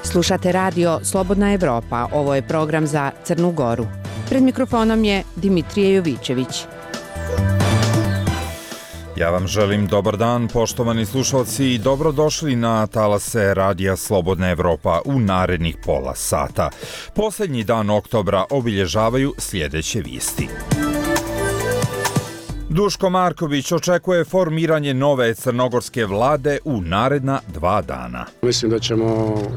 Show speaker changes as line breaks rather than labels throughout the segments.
Slušate radio Slobodna Evropa, ovo je program za Crnu Goru. Pred mikrofonom je Dimitrije Jovićević.
Ja vam želim dobar dan, poštovani slušalci, i dobrodošli na talase radija Slobodna Evropa u narednih pola sata. Posljednji dan oktobra obilježavaju sljedeće vijesti. Duško Marković očekuje formiranje nove crnogorske vlade u naredna 2 dana.
Mislim da ćemo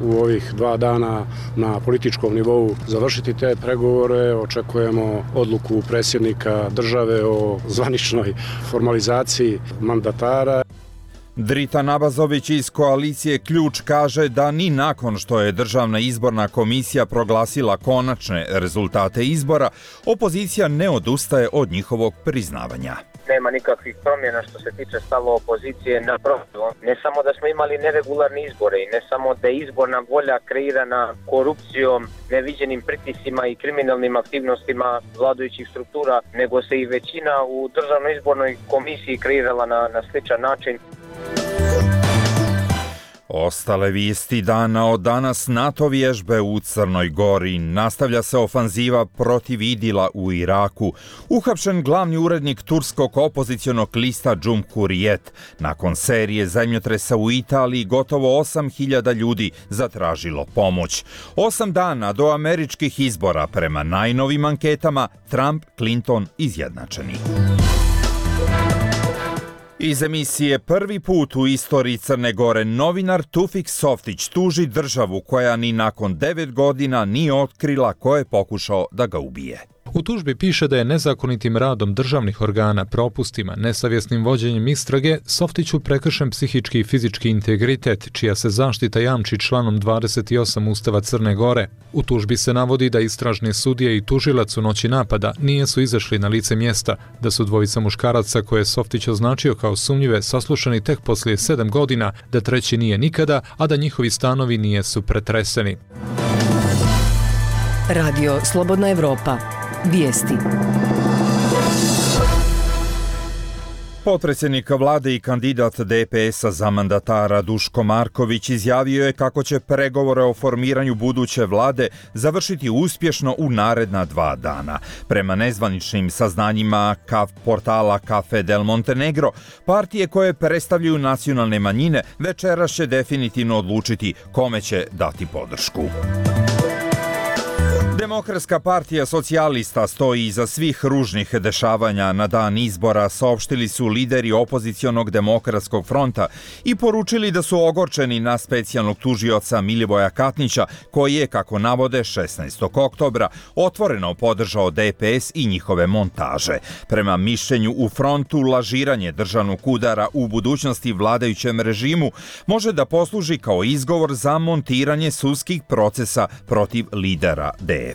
u ovih 2 dana na političkom nivou završiti te pregovore. Očekujemo odluku predsjednika države o zvaničnoj formalizaciji mandatara.
Drita Nabazović iz koalicije Ključ kaže da ni nakon što je Državna izborna komisija proglasila konačne rezultate izbora, opozicija ne odustaje od njihovog priznavanja.
Nema nikakvih promjena što se tiče stava opozicije, naprotiv. Ne samo da smo imali neregularne izbore i ne samo da je izborna volja kreirana korupcijom, neviđenim pritiscima i kriminalnim aktivnostima vladajućih struktura, nego se i većina u Državnoj izbornoj komisiji kreirala na sličan način.
Ostale vijesti dana od danas: NATO vježbe u Crnoj Gori, nastavlja se ofanziva protiv IDIL-a u Iraku, uhapšen glavni urednik turskog opozicionog lista Cumhuriyet, nakon serije zemljotresa u Italiji gotovo 8.000 ljudi zatražilo pomoć. 8 dana do američkih izbora, prema najnovim anketama Trump-Clinton izjednačeni. Iz emisije Prvi put u istoriji Crne Gore novinar Tufik Softić tuži državu koja ni nakon 9 godina nije otkrila ko je pokušao da ga ubije.
U tužbi piše da je nezakonitim radom državnih organa, propustima, nesavjesnim vođenjem istrage Softiću prekršen psihički i fizički integritet, čija se zaštita jamči članom 28 Ustava Crne Gore. U tužbi se navodi da istražni sudije i tužilac u noći napada nisu izašli na lice mjesta, da su dvojica muškaraca koje je Softić označio kao sumnjive saslušani tek poslije 7 godina, da treći nije nikada, a da njihovi stanovi nisu pretreseni.
Radio Slobodna Evropa. Vijesti.
Potpredsjednik vlade i kandidat DPS-a za mandatara Duško Marković izjavio je kako će pregovore o formiranju buduće vlade završiti uspješno u naredna 2 dana. Prema nezvaničnim saznanjima portala Café del Montenegro, partije koje predstavljaju nacionalne manjine večeras će definitivno odlučiti kome će dati podršku. Demokratska partija socijalista stoji iza svih ružnih dešavanja na dan izbora, saopštili su lideri opozicionog Demokratskog fronta i poručili da su ogorčeni na specijalnog tužioca Milivoja Katnića, koji je, kako navode, 16. oktobra otvoreno podržao DPS i njihove montaže. Prema mišljenju u frontu, lažiranje državnog udara u budućnosti vladajućem režimu može da posluži kao izgovor za montiranje sudskih procesa protiv lidera DF.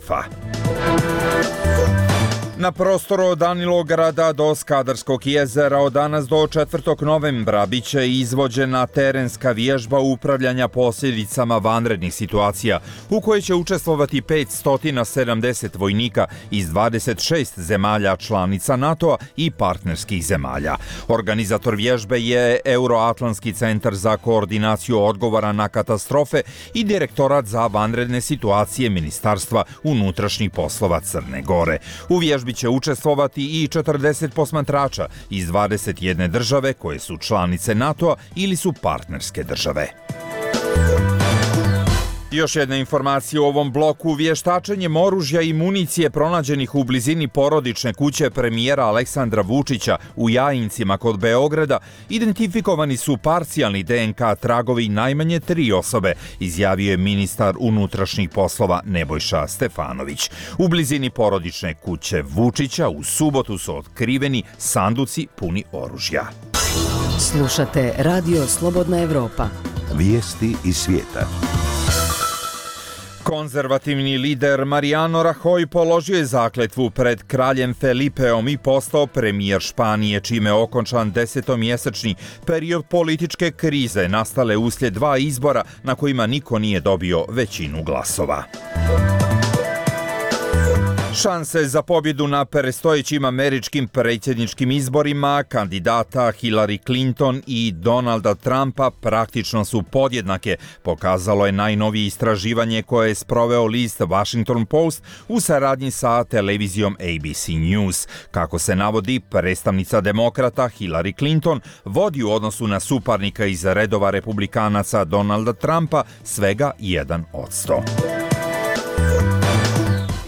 Na prostoru od Danilograda do Skadarskog jezera od danas do 4. novembra biće izvođena terenska vježba upravljanja posljedicama vanrednih situacija, u kojoj će učestvovati 570 vojnika iz 26 zemalja članica NATO-a i partnerskih zemalja. Organizator vježbe je Euroatlantski centar za koordinaciju odgovora na katastrofe i Direktorat za vanredne situacije Ministarstva unutrašnjih poslova Crne Gore. U vježbi će učestvovati i 40 posmatrača iz 21 države koje su članice NATO-a ili su partnerske države. Još jedna informacija u ovom bloku: vještačenjem oružja i municije pronađenih u blizini porodične kuće premijera Aleksandra Vučića u Jajincima kod Beograda identifikovani su parcijalni DNK tragovi najmanje 3 osobe, izjavio je ministar unutrašnjih poslova Nebojša Stefanović. U blizini porodične kuće Vučića u subotu su otkriveni sanduci puni oružja.
Slušate Radio Slobodna Evropa.
Vijesti iz svijeta.
Konzervativni lider Mariano Rajoy položio je zakletvu pred kraljem Felipeom i postao premijer Španije, čime je okončan 10-mjesečni period političke krize nastale uslijed 2 izbora na kojima niko nije dobio većinu glasova. Šanse za pobjedu na predstojećim američkim predsjedničkim izborima kandidata Hillary Clinton i Donalda Trumpa praktično su podjednake, pokazalo je najnovije istraživanje koje je sproveo list Washington Post u saradnji sa televizijom ABC News. Kako se navodi, predstavnica demokrata Hillary Clinton vodi u odnosu na suparnika iz redova republikanaca Donalda Trumpa svega 1%.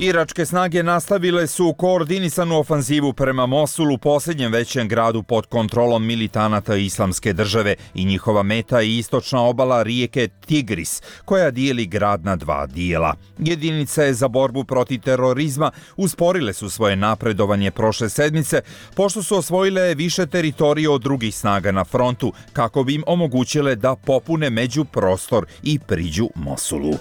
Iračke snage nastavile su koordinisanu ofanzivu prema Mosulu, posljednjem većem gradu pod kontrolom militanata Islamske države, i njihova meta je istočna obala rijeke Tigris, koja dijeli grad na dva dijela. Jedinice za borbu protiv terorizma usporile su svoje napredovanje prošle sedmice, pošto su osvojile više teritorije od drugih snaga na frontu, kako bi im omogućile da popune međuprostor i priđu Mosulu.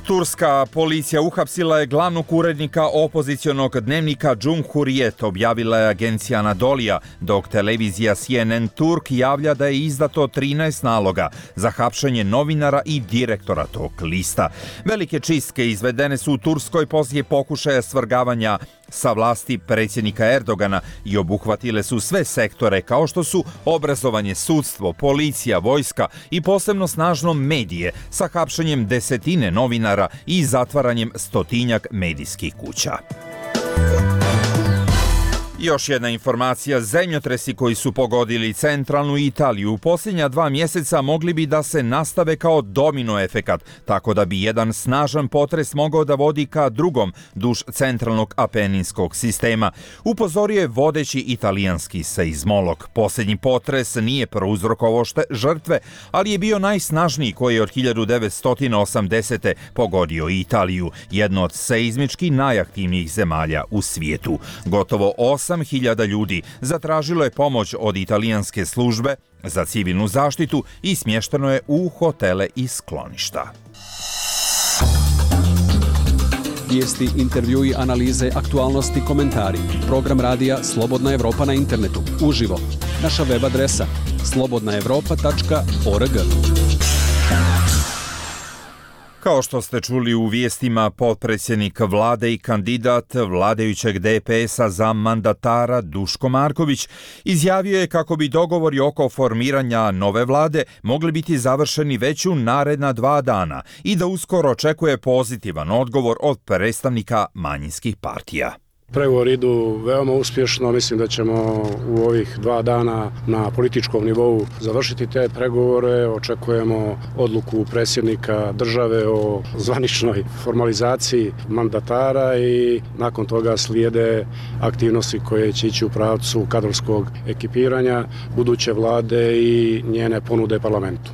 Turska policija uhapsila je glavnog urednika opozicionog dnevnika Cumhuriyet, objavila je agencija Anadolija, dok televizija CNN Turk javlja da je izdato 13 naloga za hapšenje novinara i direktora tog lista. Velike čistke izvedene su u Turskoj poslije pokušaja svrgavanja sa vlasti predsjednika Erdogana i obuhvatile su sve sektore kao što su obrazovanje, sudstvo, policija, vojska i posebno snažno medije, sa hapšenjem desetine novinara i zatvaranjem stotinjak medijskih kuća. Još jedna informacija, zemljotresi koji su pogodili centralnu Italiju u posljednja 2 mjeseca mogli bi da se nastave kao domino efekat, tako da bi jedan snažan potres mogao da vodi ka drugom duž centralnog apeninskog sistema. Upozorio je vodeći italijanski seizmolog. Posljednji potres nije prouzrokovao žrtve, ali je bio najsnažniji koji je od 1980. pogodio Italiju, jedno od seizmički najaktivnijih zemalja u svijetu. Gotovo 8.000 ljudi zatražilo je pomoć od italijanske službe za civilnu zaštitu i smješteno je u hotele i skloništa.
Vijesti, intervjui, analize, aktualnosti, komentari. Program radija Slobodna Evropa na internetu. Uživo. Naša web adresa slobodnaevropa.org.
Kao što ste čuli u vijestima, potpredsjednik vlade i kandidat vladajućeg DPS-a za mandatara Duško Marković izjavio je kako bi dogovori oko formiranja nove vlade mogli biti završeni već u naredna 2 dana i da uskoro očekuje pozitivan odgovor od predstavnika manjinskih partija.
Pregovori idu veoma uspješno, mislim da ćemo u ovih 2 dana na političkom nivou završiti te pregovore. Očekujemo odluku predsjednika države o zvaničnoj formalizaciji mandatara i nakon toga slijede aktivnosti koje će ići u pravcu kadrovskog ekipiranja buduće vlade i njene ponude parlamentu.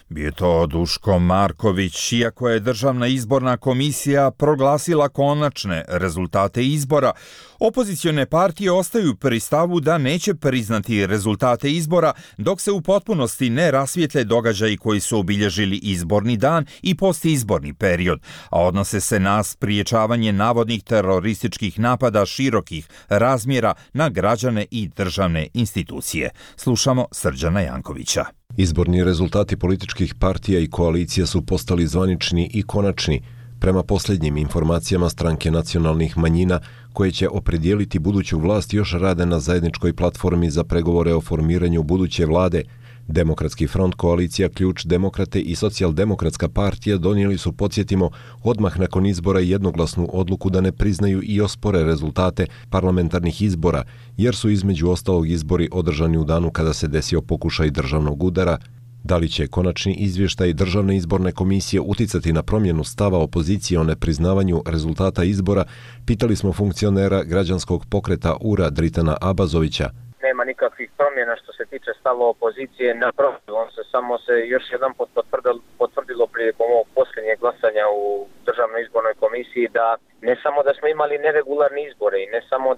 Bio je to Duško Marković. Iako je Državna izborna komisija proglasila konačne rezultate izbora, opozicione partije ostaju pri stavu da neće priznati rezultate izbora dok se u potpunosti ne rasvijetle događaji koji su obilježili izborni dan i postizborni period, a odnose se na spriječavanje navodnih terorističkih napada širokih razmjera na građane i državne institucije. Slušamo Srđana Jankovića.
Izborni rezultati političkih partija i koalicija su postali zvanični i konačni. Prema posljednjim informacijama, stranke nacionalnih manjina koje će opredijeliti buduću vlast još rade na zajedničkoj platformi za pregovore o formiranju buduće vlade. Demokratski front, koalicija Ključ, Demokrate i Socijaldemokratska partija donijeli su, podsjetimo, odmah nakon izbora jednoglasnu odluku da ne priznaju i ospore rezultate parlamentarnih izbora, jer su između ostalog izbori održani u danu kada se desio pokušaj državnog udara. Da li će konačni izvještaj Državne izborne komisije uticati na promjenu stava opozicije o nepriznavanju rezultata izbora, pitali smo funkcionera građanskog pokreta URA Dritana Abazovića.
Nema nikakvih promjena što se tiče stava opozicije, naprotiv, on se samo još jedan potvrdilo prilikom ovog posljednjeg glasanja u Državnoj izbornoj komisiji da ne samo da smo imali neregularne izbore i ne samo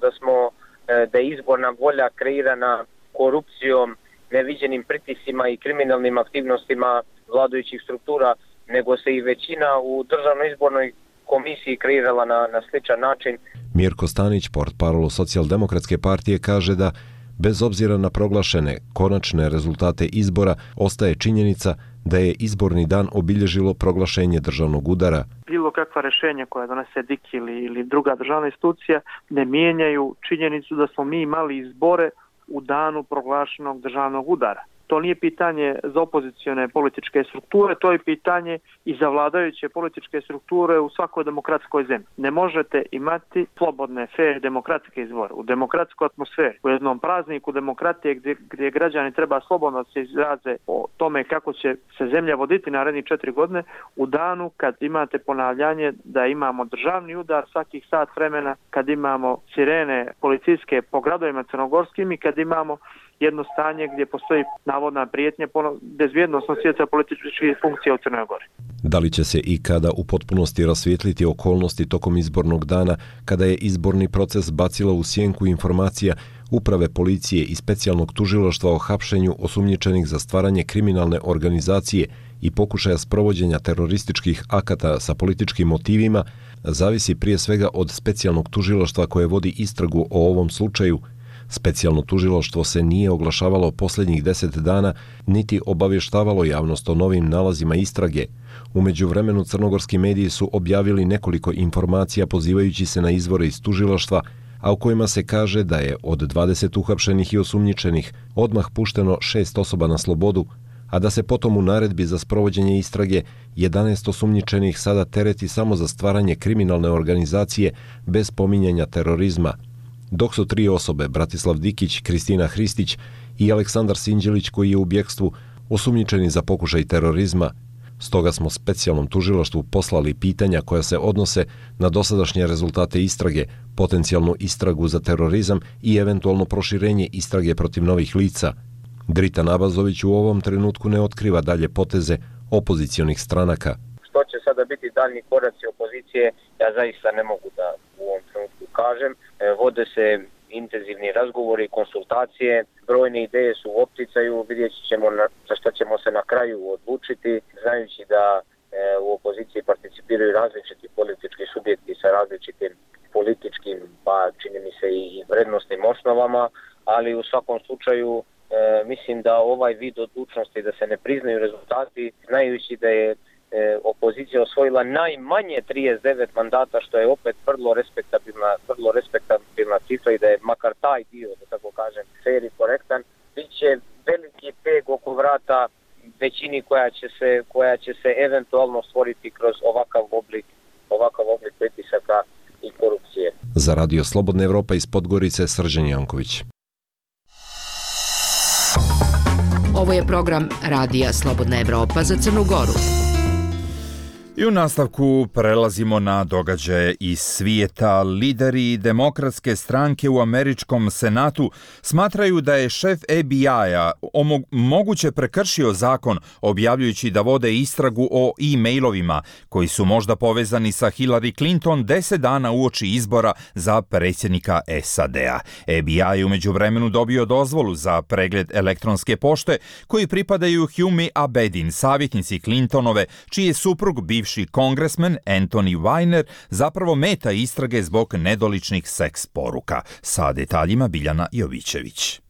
da je izborna volja kreirana korupcijom, neviđenim pritiscima i kriminalnim aktivnostima vladajućih struktura, nego se i većina u Državnoj izbornoj komisiji kreirala na sličan način.
Mirko Stanić, portparol Socijaldemokratske partije, kaže da bez obzira na proglašene konačne rezultate izbora, ostaje činjenica da je izborni dan obilježilo proglašenje državnog udara.
Bilo kakva rješenja koja donese DIK ili druga državna institucija ne mijenjaju činjenicu da smo mi imali izbore u danu proglašenog državnog udara. To nije pitanje za opozicione političke strukture, to je pitanje i za vladajuće političke strukture u svakoj demokratskoj zemlji. Ne možete imati slobodne, fair, demokratske izbore u demokratskoj atmosferi, u jednom prazniku demokratije gdje građani treba slobodno se izraze o tome kako će se zemlja voditi narednih 4 godine, u danu kad imate ponavljanje da imamo državni udar svakih sat vremena, kad imamo sirene policijske po gradovima crnogorskim i kad imamo jedno stanje gdje postoji navodna prijetnja bezbjednosnog svijeta političkih funkcija u Crnoj Gori.
Da li će se i kada u potpunosti rasvijetliti okolnosti tokom izbornog dana, kada je izborni proces bacila u sjenku informacija Uprave policije i specijalnog tužilaštva o hapšenju osumnjičenih za stvaranje kriminalne organizacije i pokušaja sprovođenja terorističkih akata sa političkim motivima, zavisi prije svega od specijalnog tužilaštva koje vodi istragu o ovom slučaju. Specijalno tužilaštvo se nije oglašavalo posljednjih 10 dana, niti obavještavalo javnost o novim nalazima istrage. U međuvremenu crnogorski mediji su objavili nekoliko informacija pozivajući se na izvore iz tužilaštva, a u kojima se kaže da je od 20 uhapšenih i osumnjičenih odmah pušteno 6 osoba na slobodu, a da se potom u naredbi za sprovođenje istrage 11 osumnjičenih sada tereti samo za stvaranje kriminalne organizacije bez pominjanja terorizma. Dok su 3 osobe, Bratislav Dikić, Kristina Hristić i Aleksandar Sinđelić koji je u bjegstvu, osumnjičeni za pokušaj terorizma. Stoga smo specijalnom tužilaštvu poslali pitanja koja se odnose na dosadašnje rezultate istrage, potencijalnu istragu za terorizam i eventualno proširenje istrage protiv novih lica. Dritan Abazović u ovom trenutku ne otkriva dalje poteze opozicionih stranaka.
Što će sada biti daljnji koraci opozicije, ja zaista ne mogu da u ovom trenutku kažem. Vode se intenzivni razgovori, konsultacije, brojne ideje su u opticaju, vidjet ćemo za što ćemo se na kraju odlučiti, znajući da u opoziciji participiraju različiti politički subjekti sa različitim političkim, pa čini mi se i vrednostnim osnovama, ali u svakom slučaju mislim da ovaj vid odlučnosti da se ne priznaju rezultati, znajući da je opozicija osvojila najmanje 39 mandata, što je opet vrlo respektabilna cifra i da je makar taj dio, da tako kažem, fair i korektan, bit će veliki peg oko vrata većini koja će se eventualno stvoriti kroz ovakav oblik pritisaka i korupcije.
Za Radio Slobodna Evropa iz Podgorice, Srđan Janković.
Ovo je program Radija Slobodna Evropa za Crnu Goru.
I u nastavku prelazimo na događaje iz svijeta. Lideri demokratske stranke u američkom senatu smatraju da je šef FBI-a moguće prekršio zakon objavljujući da vode istragu o e-mailovima koji su možda povezani sa Hillary Clinton 10 dana uoči izbora za predsjednika SAD-a. FBI je u međuvremenu dobio dozvolu za pregled elektronske pošte koji pripadaju Humi Abedin, savjetnici Clintonove, čiji je suprug bivši kongresmen Anthony Weiner zapravo meta istrage zbog nedoličnih seks poruka. Sa detaljima Biljana Jovićević.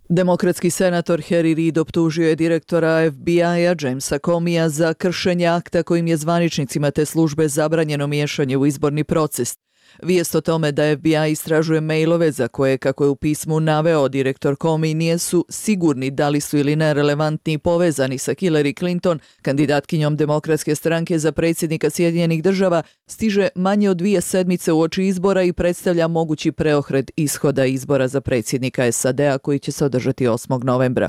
Demokratski senator Harry Reid optužio je direktora FBI-a Jamesa Comeyja za kršenje akta kojim je zvaničnicima te službe zabranjeno miješanje u izborni proces. Vijest o tome da FBI istražuje mailove za koje, kako je u pismu naveo direktor Comey, nisu sigurni da li su ili ne relevantni i povezani sa Hillary Clinton, kandidatkinjom demokratske stranke za predsjednika Sjedinjenih država, stiže manje od 2 sedmice uoči izbora i predstavlja mogući preokret ishoda izbora za predsjednika SAD-a koji će se održati 8. novembra.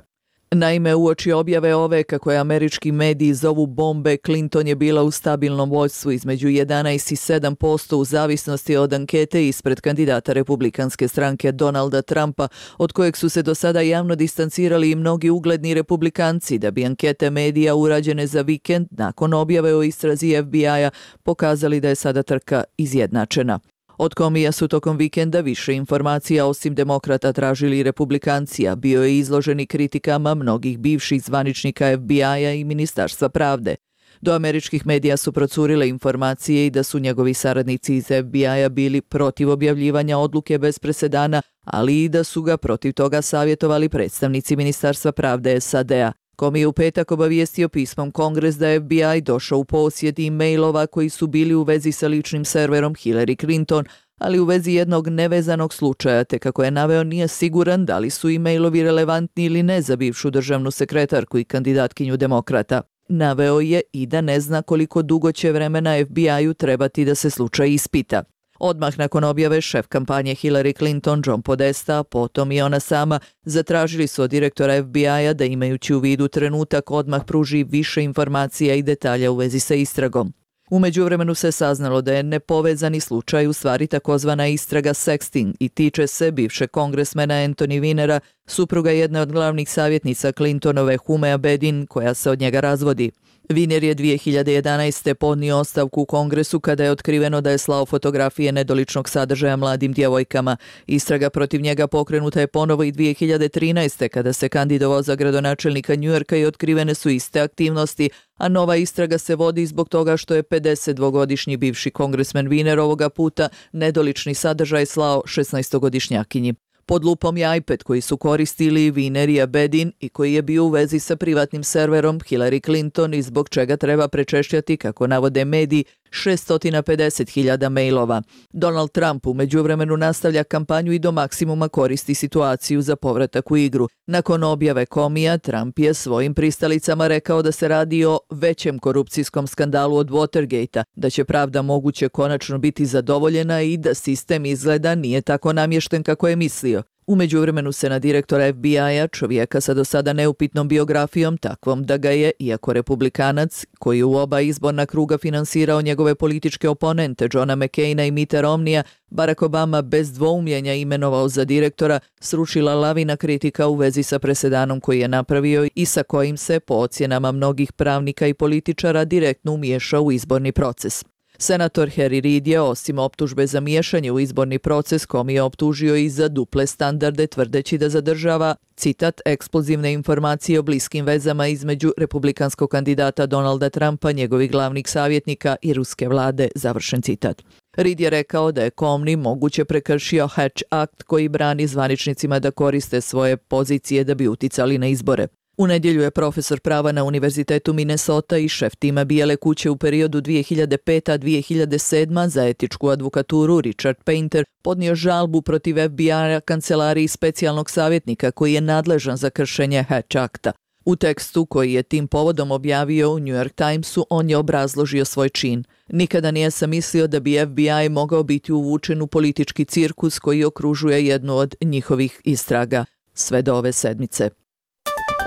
Naime, uoči objave ove, kako je američki mediji zovu bombe, Clinton je bila u stabilnom vođstvu između 11 i 7% u zavisnosti od ankete ispred kandidata republikanske stranke Donalda Trumpa, od kojeg su se do sada javno distancirali i mnogi ugledni republikanci, da bi ankete medija urađene za vikend nakon objave o istrazi FBI-a pokazali da je sada trka izjednačena. Od Comeyja su tokom vikenda više informacija osim demokrata tražili republikanci, a bio je izloženi kritikama mnogih bivših zvaničnika FBI-a i Ministarstva pravde. Do američkih medija su procurile informacije i da su njegovi saradnici iz FBI-a bili protiv objavljivanja odluke bez presedana, ali i da su ga protiv toga savjetovali predstavnici Ministarstva pravde SAD-a. Comey je u petak obavijestio pismom Kongres da je FBI došao u posjed e-mailova koji su bili u vezi sa ličnim serverom Hillary Clinton, ali u vezi jednog nevezanog slučaja, te kako je naveo nije siguran da li su e-mailovi relevantni ili ne za bivšu državnu sekretarku i kandidatkinju demokrata. Naveo je i da ne zna koliko dugo će vremena FBI-u trebati da se slučaj ispita. Odmah nakon objave šef kampanje Hillary Clinton, John Podesta, potom i ona sama, zatražili su od direktora FBI-a da imajući u vidu trenutak odmah pruži više informacija i detalja u vezi sa istragom. U međuvremenu se saznalo da je nepovezani slučaj u stvari takozvana istraga sexting i tiče se bivšeg kongresmena Anthony Weinera, supruga jedne od glavnih savjetnica Clintonove Humea Bedin, koja se od njega razvodi. Weiner je 2011. podnio ostavku u Kongresu kada je otkriveno da je slao fotografije nedoličnog sadržaja mladim djevojkama. Istraga protiv njega pokrenuta je ponovo i 2013. kada se kandidovao za gradonačelnika Njujorka i otkrivene su iste aktivnosti, a nova istraga se vodi zbog toga što je 52-godišnji bivši kongresmen Weiner ovoga puta nedolični sadržaj slao 16-godišnjakinji. Pod lupom je iPad koji su koristili Weiner i Bedin i koji je bio u vezi sa privatnim serverom Hillary Clinton i zbog čega treba prečešljati, kako navode mediji, 650.000 mailova. Donald Trump u međuvremenu nastavlja kampanju i do maksimuma koristi situaciju za povratak u igru. Nakon objave Comeyja, Trump je svojim pristalicama rekao da se radi o većem korupcijskom skandalu od Watergate-a, da će pravda moguće konačno biti zadovoljena i da sistem izgleda nije tako namješten kako je mislio. U međuvremenu se na direktora FBI-a, čovjeka sa do sada neupitnom biografijom, takvom da ga je, iako republikanac, koji u oba izborna kruga finansirao njegove političke oponente Johna McCaina i Mitta Romneya, Barack Obama bez dvoumljenja imenovao za direktora, srušila lavina kritika u vezi sa presedanom koji je napravio i sa kojim se, po ocjenama mnogih pravnika i političara, direktno umiješao u izborni proces. Senator Harry Reid je, osim optužbe za miješanje u izborni proces, Comey je optužio i za duple standarde, tvrdeći da zadržava, citat, eksplozivne informacije o bliskim vezama između republikanskog kandidata Donalda Trumpa, njegovih glavnih savjetnika i ruske vlade, završen citat. Reid je rekao da je Comey moguće prekršio Hatch Act koji brani zvaničnicima da koriste svoje pozicije da bi uticali na izbore. U nedjelju je profesor prava na Univerzitetu Minnesota i šef tima Bijele kuće u periodu 2005-2007 za etičku advokaturu Richard Painter podnio žalbu protiv FBI-a kancelariji specijalnog savjetnika koji je nadležan za kršenje Hatch Acta. U tekstu koji je tim povodom objavio u New York Timesu, on je obrazložio svoj čin. Nikada nisam mislio da bi FBI mogao biti uvučen u politički cirkus koji okružuje jednu od njihovih istraga. Sve do ove sedmice.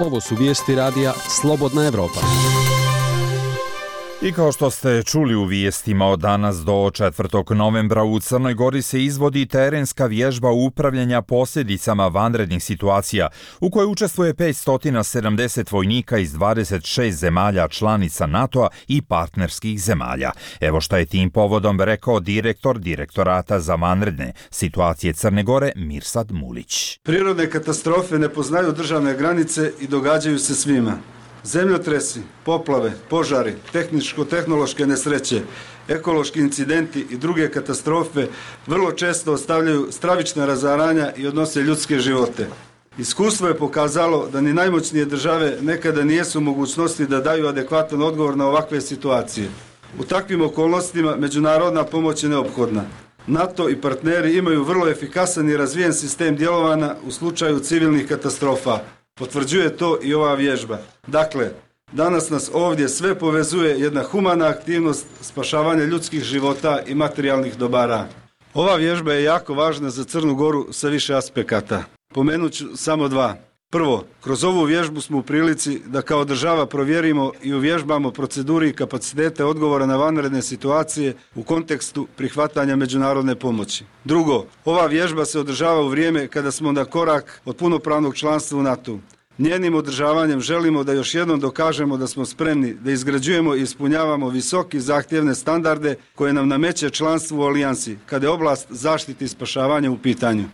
Ovo su vijesti radija Slobodna Evropa.
I kao što ste čuli u vijestima, od danas do 4. novembra u Crnoj Gori se izvodi terenska vježba upravljanja posljedicama vanrednih situacija, u kojoj učestvuje 570 vojnika iz 26 zemalja članica NATO-a i partnerskih zemalja. Evo šta je tim povodom rekao direktor Direktorata za vanredne situacije Crne Gore, Mirsad Mulić.
Prirodne katastrofe ne poznaju državne granice i događaju se svima. Zemljotresi, poplave, požari, tehničko-tehnološke nesreće, ekološki incidenti i druge katastrofe vrlo često ostavljaju stravična razaranja i odnose ljudske živote. Iskustvo je pokazalo da ni najmoćnije države nekada nijesu u mogućnosti da daju adekvatan odgovor na ovakve situacije. U takvim okolnostima međunarodna pomoć je neophodna. NATO i partneri imaju vrlo efikasan i razvijen sistem djelovanja u slučaju civilnih katastrofa. Potvrđuje to i ova vježba. Dakle, danas nas ovdje sve povezuje jedna humana aktivnost spašavanja ljudskih života i materijalnih dobara. Ova vježba je jako važna za Crnu Goru sa više aspekata. Pomenut ću samo dva. Prvo, kroz ovu vježbu smo u prilici da kao država provjerimo i uvježbamo proceduri i kapacitete odgovora na vanredne situacije u kontekstu prihvatanja međunarodne pomoći. Drugo, ova vježba se održava u vrijeme kada smo na korak od punopravnog članstva u NATO. Njenim održavanjem želimo da još jednom dokažemo da smo spremni da izgrađujemo i ispunjavamo visoki zahtjevne standarde koje nam nameće članstvo u alijansi, kada je oblast zaštite i spašavanja u pitanju.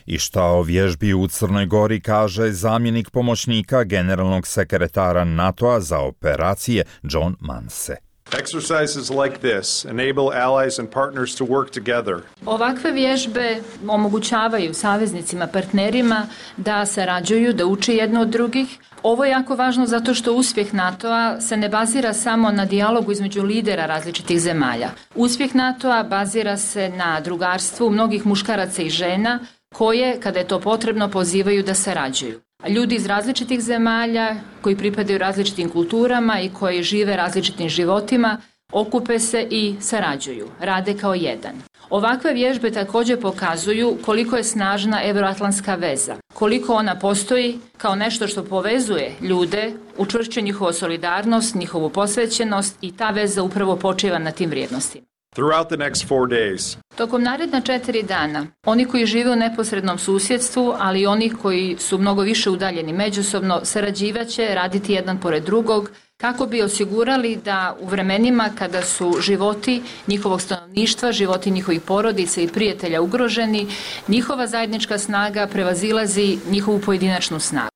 I šta o vježbi u Crnoj Gori kaže zamjenik pomoćnika generalnog sekretara NATO-a za operacije John Manse.
Exercises like this enable allies and partners to work together.
Ovakve vježbe omogućavaju saveznicima, partnerima da sarađuju, da uče jedno od drugih. Ovo je jako važno zato što uspjeh NATO-a se ne bazira samo na dijalogu između lidera različitih zemalja. Uspjeh NATO-a bazira se na drugarstvu mnogih muškaraca i žena koje, kada je to potrebno, pozivaju da sarađuju. Ljudi iz različitih zemalja koji pripadaju različitim kulturama i koji žive različitim životima okupe se i sarađuju, rade kao jedan. Ovakve vježbe također pokazuju koliko je snažna euroatlantska veza, koliko ona postoji kao nešto što povezuje ljude, učvršćuje njihovu solidarnost, njihovu posvećenost i ta veza upravo počiva na tim vrijednostima.
Throughout the next 4 days,
tokom naredna 4 dana, oni koji žive u neposrednom susjedstvu, ali i oni koji su mnogo više udaljeni međusobno, sarađivaće, raditi jedan pored drugog, kako bi osigurali da u vremenima kada su životi njihovog stanovništva, životi njihovih porodica i prijatelja ugroženi, njihova zajednička snaga prevazilazi njihovu pojedinačnu snagu.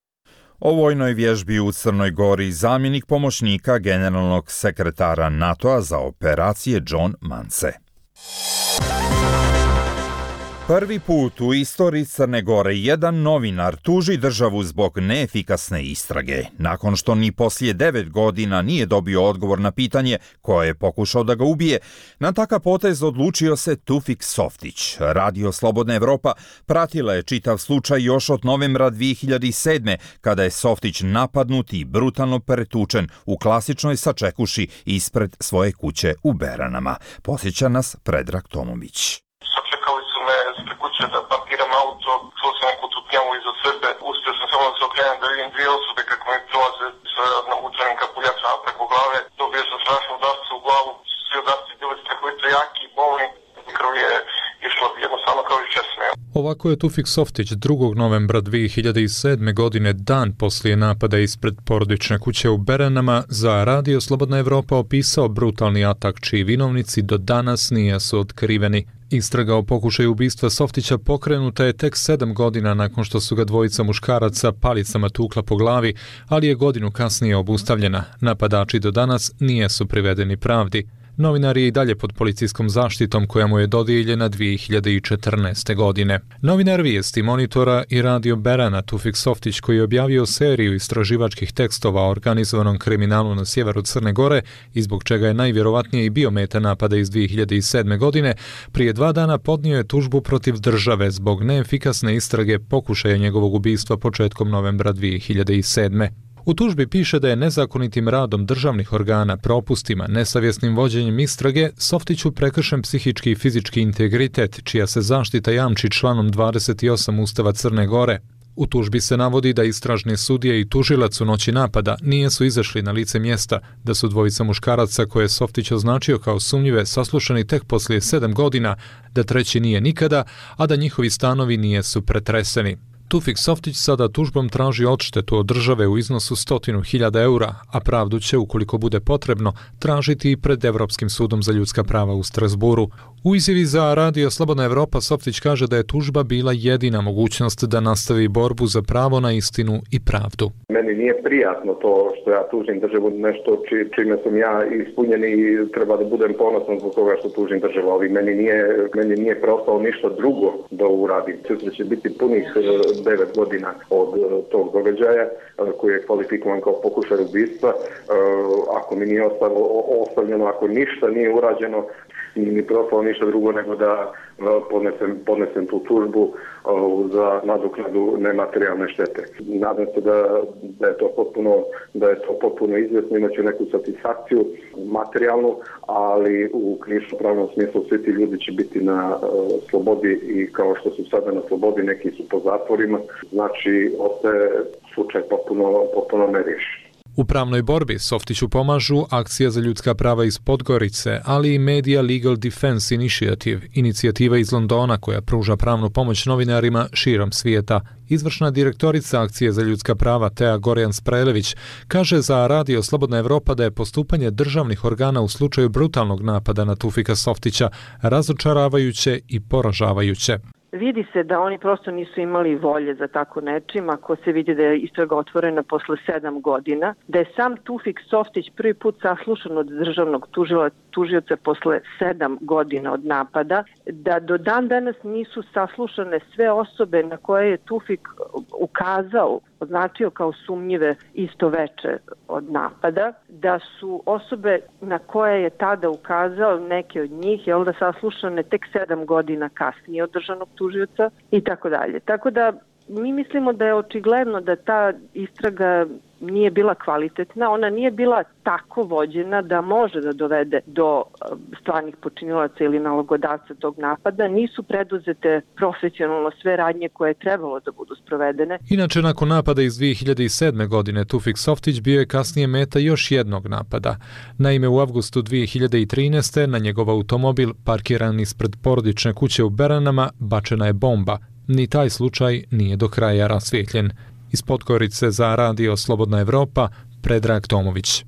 O vojnoj vježbi u Crnoj Gori zamjenik pomoćnika generalnog sekretara NATO-a za operacije John Mance. Prvi put u istoriji Crne Gore jedan novinar tuži državu zbog neefikasne istrage, nakon što ni poslije 9 godina nije dobio odgovor na pitanje ko je pokušao da ga ubije. Na takav potez odlučio se Tufik Softić. Radio Slobodna Evropa pratila je čitav slučaj još od novembra 2007. kada je Softić napadnut i brutalno pretučen u klasičnoj sačekuši ispred svoje kuće u Beranama. Posjeća nas Predrag Tomović.
Ispred kuće da parkiram auto, čuo sam neku tutnjavu iza sebe, uspio sam samo da se okrenem da vidim 2 osobe kako mi prolaze sa navučenim kapuljačama preko glave, dobio sam strašnu udarcu u glavu, svi udarci bili strahovito jaki i bolni, krv je išla jednostavno kao iz česme.
Ovako je Tufik Softić 2. novembra 2007. godine, dan poslije napada ispred porodične kuće u Beranama, za Radio Slobodna Evropa opisao brutalni atak čiji vinovnici do danas nisu otkriveni. Istraga o pokušaju ubistva Softića pokrenuta je tek 7 godina nakon što su ga dvojica muškaraca palicama tukla po glavi, ali je godinu kasnije obustavljena. Napadači do danas nisu privedeni pravdi. Novinar je i dalje pod policijskom zaštitom koja mu je dodijeljena 2014. godine. Novinar Vijesti, Monitora i Radio Berana Tufik Softić, koji je objavio seriju istraživačkih tekstova o organizovanom kriminalu na sjeveru Crne Gore i zbog čega je najvjerovatnije i bio meta napada iz 2007. godine, prije 2 dana podnio je tužbu protiv države zbog neefikasne istrage pokušaja njegovog ubistva početkom novembra 2007. U tužbi piše da je nezakonitim radom državnih organa, propustima, nesavjesnim vođenjem istrage Softiću prekršen psihički i fizički integritet, čija se zaštita jamči članom 28 Ustava Crne Gore. U tužbi se navodi da istražni sudije i tužilac u noći napada nisu izašli na lice mjesta, da su dvojica muškaraca koje je Softić označio kao sumnjive saslušani tek poslije 7 godina, da treći nije nikada, a da njihovi stanovi nisu pretreseni. Tufik Softić sada tužbom traži odštetu od države u iznosu 100.000 eura, a pravdu će, ukoliko bude potrebno, tražiti i pred Evropskim sudom za ljudska prava u Strasburu. U izjavi za Radio Slobodna Evropa Softić kaže da je tužba bila jedina mogućnost da nastavi borbu za pravo na istinu i pravdu.
Meni nije prijatno to što ja tužim državu, nešto čime sam ja ispunjen i treba da budem ponosan zbog toga što tužim državu, ali meni nije preostalo ništa drugo da uradim. Sutra će biti punih 9 godina od tog događaja koji je kvalifikovan kao pokušaj ubistva. Ako mi nije ostavljeno, ako ništa nije urađeno, nije mi preostalo ništa drugo nego da podnesem tu tužbu za nadoknadu nematerijalne štete. Nadam se da je to potpuno izvjesno, imaću neku satisfakciju materijalnu, ali u krivično-pravnom smislu svi ti ljudi će biti na slobodi i kao što su sada na slobodi, neki su po zatvorima, znači ostaje slučaj potpuno neriješen.
U pravnoj borbi Softiću pomažu Akcija za ljudska prava iz Podgorice, ali i Media Legal Defense Initiative, inicijativa iz Londona koja pruža pravnu pomoć novinarima širom svijeta. Izvršna direktorica Akcije za ljudska prava Tea Gorjan-Sprelević kaže za Radio Slobodna Evropa da je postupanje državnih organa u slučaju brutalnog napada na Tufika Softića razočaravajuće i poražavajuće.
vidi se da oni prosto nisu imali volje za tako nečim, ako se vidi da je istraga otvorena posle 7 godina, da je sam Tufik Softić prvi put saslušan od državnog tužioca posle 7 godina od napada, da do dan danas nisu saslušane sve osobe na koje je Tufik ukazao, označio kao sumnjive isto veče od napada, da su osobe na koje je tada ukazao, neke od njih, da saslušane tek 7 godina kasnije od državnog tužioca i tako dalje. Tako da mi mislimo da je očigledno da ta istraga nije bila kvalitetna, ona nije bila tako vođena da može da dovede do stvarnih počinilaca ili nalogodavca tog napada, nisu preduzete profesionalno sve radnje koje je trebalo da budu sprovedene.
Inače, nakon napada iz 2007. godine, Tufik Softić bio je kasnije meta još jednog napada. Naime, u avgustu 2013. na njegov automobil, parkiran ispred porodične kuće u Beranama, bačena je bomba. Ni taj slučaj nije do kraja rasvijetljen. Iz Podgorice za radio Slobodna Evropa, Predrag Tomović.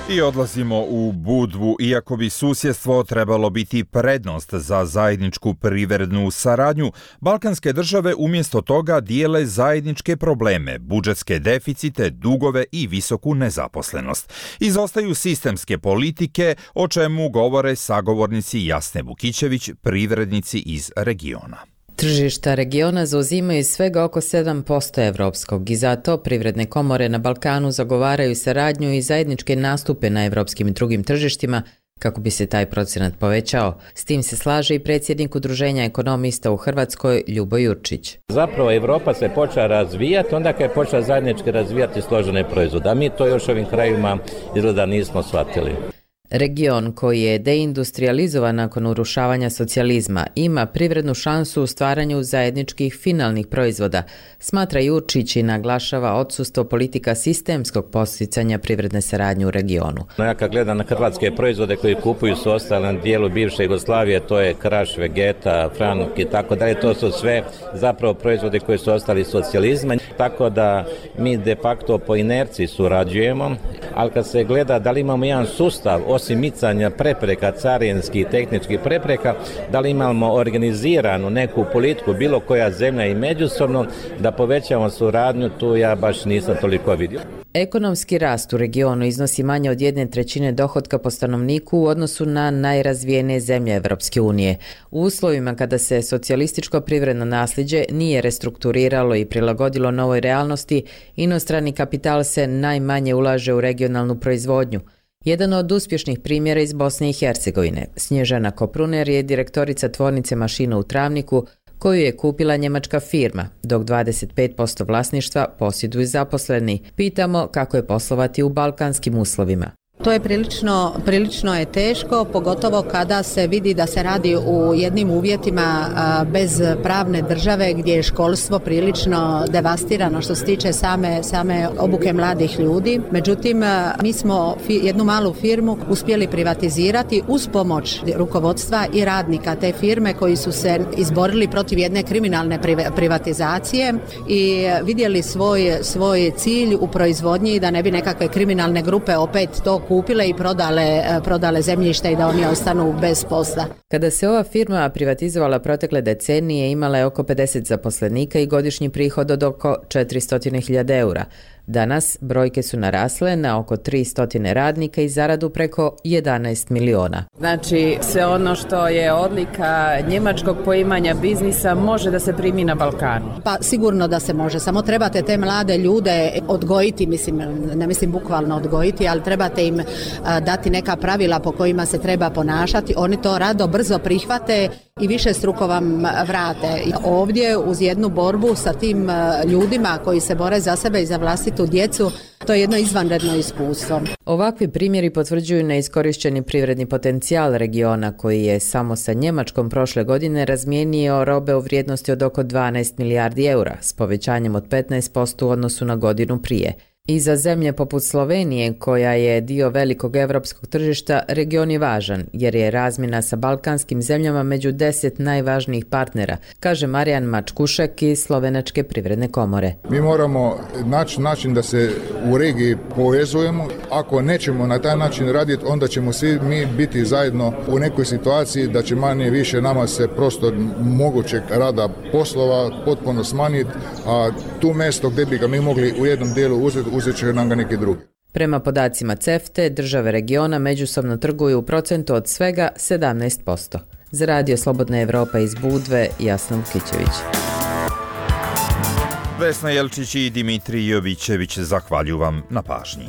I odlazimo u Budvu, iako bi susjedstvo trebalo biti prednost za zajedničku privrednu saradnju, balkanske države umjesto toga dijele zajedničke probleme, budžetske deficite, dugove i visoku nezaposlenost. Izostaju sistemske politike, o čemu govore sagovornici Jasne Vukićević, privrednici iz regiona.
Tržišta regiona zauzimaju svega oko 7% evropskog i zato privredne komore na Balkanu zagovaraju saradnju i zajedničke nastupe na evropskim i drugim tržištima kako bi se taj procenat povećao. S tim se slaže i predsjednik Udruženja ekonomista u Hrvatskoj Ljubo Jurčić.
Zapravo Evropa se počela razvijati onda kad je počela zajednički razvijati složene proizvode, a mi to još ovim krajevima izgleda nismo shvatili.
Region koji je deindustrializovan nakon urušavanja socijalizma ima privrednu šansu u stvaranju zajedničkih finalnih proizvoda, smatra Jurčić i naglašava odsustvo politika sistemskog posticanja privredne saradnje u regionu.
Ja kad gledam na hrvatske proizvode koji kupuju su ostali na dijelu bivše Jugoslavije, to je Kraš, Vegeta, Franuk i tako dalje, to su sve zapravo proizvode koji su ostali iz socijalizma, tako da mi de facto po inerciji surađujemo, ali kad se gleda da li imamo jedan sustav osim micanja prepreka, carinskih i tehničkih prepreka, da li imamo organiziranu neku politiku, bilo koja zemlja i međusobno, da povećamo suradnju, tu ja baš nisam toliko vidio.
Ekonomski rast u regionu iznosi manje od 1/3 dohotka po stanovniku u odnosu na najrazvijenije zemlje Evropske unije. U uslovima kada se socijalističko privredno nasljeđe nije restrukturiralo i prilagodilo novoj realnosti, inostrani kapital se najmanje ulaže u regionalnu proizvodnju. Jedan od uspješnih primjera iz Bosne i Hercegovine, Snježana Kopruner, je direktorica tvornice mašina u Travniku, koju je kupila njemačka firma, dok 25% vlasništva posjeduju zaposleni. Pitamo kako je poslovati u balkanskim uslovima.
To je prilično je teško, pogotovo kada se vidi da se radi u jednim uvjetima bez pravne države gdje je školstvo prilično devastirano što se tiče same obuke mladih ljudi. Međutim, mi smo jednu malu firmu uspjeli privatizirati uz pomoć rukovodstva i radnika te firme koji su se izborili protiv jedne kriminalne privatizacije i vidjeli svoj cilj u proizvodnji da ne bi nekakve kriminalne grupe opet to kupile i prodale zemljište i da oni ostanu bez posla.
Kada se ova firma privatizovala protekle decenije, imala je oko 50 zaposlenika i godišnji prihod od oko 400.000 eura. Danas brojke su narasle na oko 300 radnika i zaradu preko 11 miliona.
Znači, sve ono što je odlika njemačkog poimanja biznisa može da se primi na Balkanu?
Pa sigurno da se može, samo trebate te mlade ljude odgojiti, ne mislim bukvalno odgojiti, ali trebate im dati neka pravila po kojima se treba ponašati. Oni to rado, brzo prihvate i više struko vam vrate. Ovdje uz jednu borbu sa tim ljudima koji se bore za sebe i za vlastitu djecu, to je jedno izvanredno iskustvo.
Ovakvi primjeri potvrđuju neiskorišteni privredni potencijal regiona koji je samo sa Njemačkom prošle godine razmijenio robe u vrijednosti od oko 12 milijardi eura s povećanjem od 15% u odnosu na godinu prije. I za zemlje poput Slovenije, koja je dio velikog evropskog tržišta, region je važan, jer je razmjena sa balkanskim zemljama među 10 najvažnijih partnera, kaže Marijan Mačkušek iz Slovenačke privredne komore.
Mi moramo naći način da se u regiji povezujemo. Ako nećemo na taj način raditi, onda ćemo svi mi biti zajedno u nekoj situaciji da će manje više nama se prostor mogućeg rada poslova potpuno smanjiti, a tu mjesto gdje bi ga mi mogli u jednom dijelu uzet će nam ga neki drugi.
Prema podacima CEFTA, države regiona međusobno trguju u procentu od svega 17%. Za Radio Slobodna Evropa iz Budve, Jasna Vukićević.
Vesna Jelčić i Dimitrij Jovićević zahvaljuju vam na pažnji.